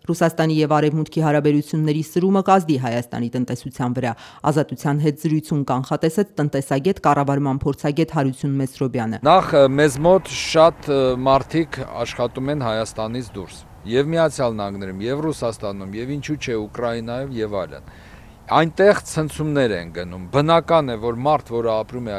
Ռուսաստանի եւ Արևմուտքի հարաբերությունների սրումը կազդի Հայաստանի տնտեսության վրա։ Ազատության հետ զրույցում կանխատեսեց տնտեսագետ, կառավարման փորձագետ Հարություն Մեսրոբյանը։ Նախ մեզ մոտ շատ մարդիկ աշխատում են Հայաստանից դուրս, եւ Միացյալ Նահանգներում, եւ Ռուսաստանում, եւ ինչու՞ չէ Ուկրաինայում եւ այլն։ Այնտեղ ցնցումներ են գնում։ Բնական է, որ մարդ, որը ապրում է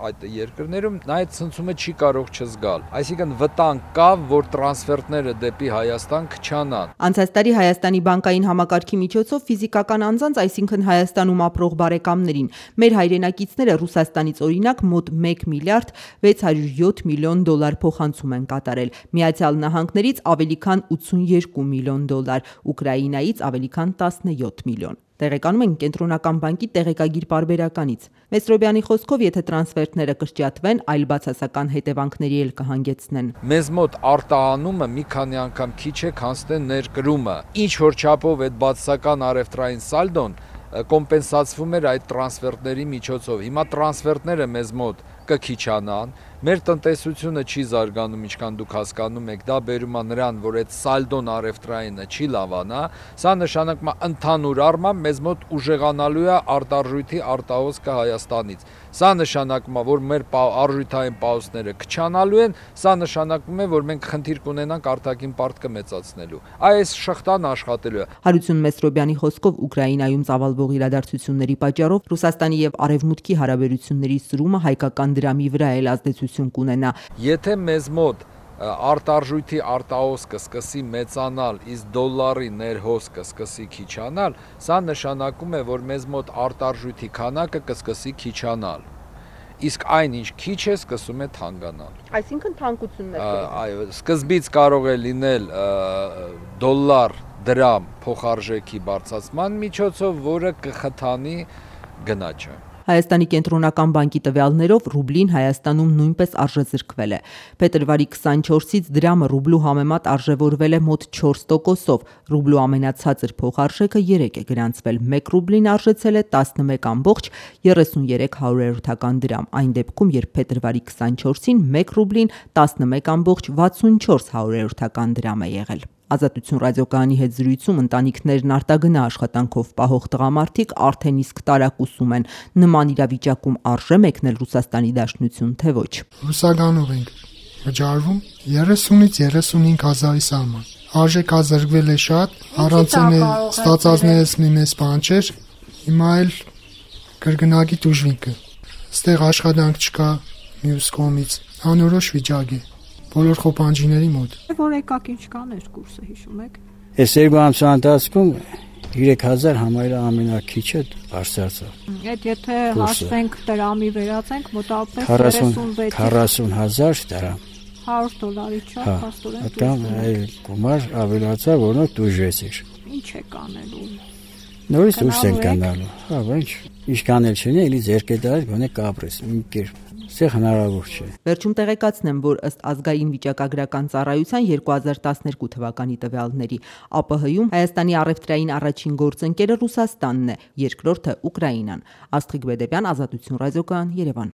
այդ երկրներում, նա այդ ցնցումը չի կարող չզգալ։ Այսինքն վտանգ կա, որ տրանսֆերտները դեպի Հայաստան քչանան։ Անցած տարի Հայաստանի բանկային համակարգի միջոցով ֆիզիկական անձանց, այսինքն Հայաստանում ապրող բարեկամներին, մեր հայրենակիցները Ռուսաստանից օրինակ մոտ 1 միլիարդ 607 միլիոն դոլար փոխանցում են կատարել։ Միացյալ Նահանգներից ավելի քան 82 միլիոն դոլար, Ուկրաինայից ավելի քան 17 միլիոն։ Տեղեկանում են Կենտրոնական բանկի տեղեկագիր պարբերականից։ Մեսրոբյանի խոսքով, եթե տրանսֆերտները կրճատվեն, այլ բացասական հետևանքների էլ կհանգեցնեն։ Մեզ մոտ արտահանումը մի քանի անգամ քիչ է, քան թե ներկրումը։ Ինչ որ չափով այդ բացասական առևտրային սալդոն կոմպենսացվում էր այդ տրանսֆերտների միջոցով։ Հիմա տրանսֆերտները մեզ մոտ կքիչանան, մեր տնտեսությունը չի զարգանում, ինչքան դուք հասկանում եք, դա բերում է նրան, որ այդ սալդոն առևտրայինը չի լավանա, սա նշանակում է ընդհանուր առմամբ մեզ մոտ ուժեղանալու է արտարժույթի արտահոսքը Հայաստանից։ Սա նշանակում է, որ մեր արժութային պահոստները քչանալու են, սա նշանակում է, որ մենք խնդիր կունենանք արտաքին պարտքը մեծացնելու։ Այս շղթան աշխատելու է։ Հարություն Մեսրոբյանի խոսքով Ուկրաինայում ծավալվող իրադարձությունների պատճառով Ռուսաստանի եւ Արևմուտքի հարաբերությունների սրումը հայկական դրամի վրա էլ ազդեցություն կունենա։ Եթե մեզ մոտ արտարժույթի արտահոսքը սկսի մեծանալ, իսկ դոլարի ներհոսքը սկսի քիչանալ, սա նշանակում է, որ մեզ մոտ արտարժույթի քանակը կսկսի քիչանալ։ Իսկ այն ինչ քիչ է, սկսում է թանկանալ։ Այսինքն թանկություններ կլինեն։ Այո, սկզբից կարող է լինել դոլար դրամ փոխարժեքի բարձրացման միջոցով, որը կխթանի գնաճը։ Հայաստանի Կենտրոնական բանկի տվյալներով ռուբլին Հայաստանում նույնպես արժեզրկվել է։ Փետրվարի 24-ից դրամը ռուբլու համեմատ արժևորվել է մոտ 4%-ով։ Ռուբլու ամենացածր փոխարժեքը 3 է գրանցվել։ 1 ռուբլին արժեցել է 11.33 դրամ։ Այն դեպքում, երբ փետրվարի 24-ին 1 ռուբլին 11.64 դրամ է եղել։ Ազատություն ռադիոկայանի հետ զրույցում ընտանիքներն արտագնա աշխատանքով պահող տղամարդիկ արդեն իսկ տարակուսում են։ Նման իրավիճակում արժե մեկնել Ռուսաստանի Դաշնություն, թե ոչ։ Ռուսականով ենք վճարվում 30-ից 35 հազարի սահման։ Արժեքա զրկվել է շատ, առանցեն է ստացածներս մի մեծ բան չէր, հիմա էլ կրկնակի դժվինքը։ Ստեղ աշխատանք չկա մյուս կողմից, անորոշ վիճակ է։ Բոլոր խոպանջիների մոտ։ Որ եկակ ինչ կաներ կուրսը հիշում եք։ Այս երկու ամսվա ընթացքում 3000 համարը ամենակիչը բարձրացավ։ Այդ եթե հաշվենք դրամի վերածենք մոտավորապես 40000 դրամ։ $100 չափ փաստորեն։ Այդքան գումար ավելացավ, որոնք դժվեցիր։ Ինչ է կանելու։ Նորից դուրս են կանալու։ Հա, ինչ կանել չունի, էլի ձերք է դարձ, գոնե կապրես, մի կերպ։ Սա հնարավոր չէ։ Վերջում տեղեկացնեմ, որ ըստ ազգային վիճակագրական ծառայության 2012 թվականի տվյալների ԱՊՀ-ում Հայաստանի առևտրային առաջին գործընկերը Ռուսաստանն է, երկրորդը Ուկրաինան։ Աստղիկ Բեդեբյան, Ազատություն ռադիոկայան, Երևան։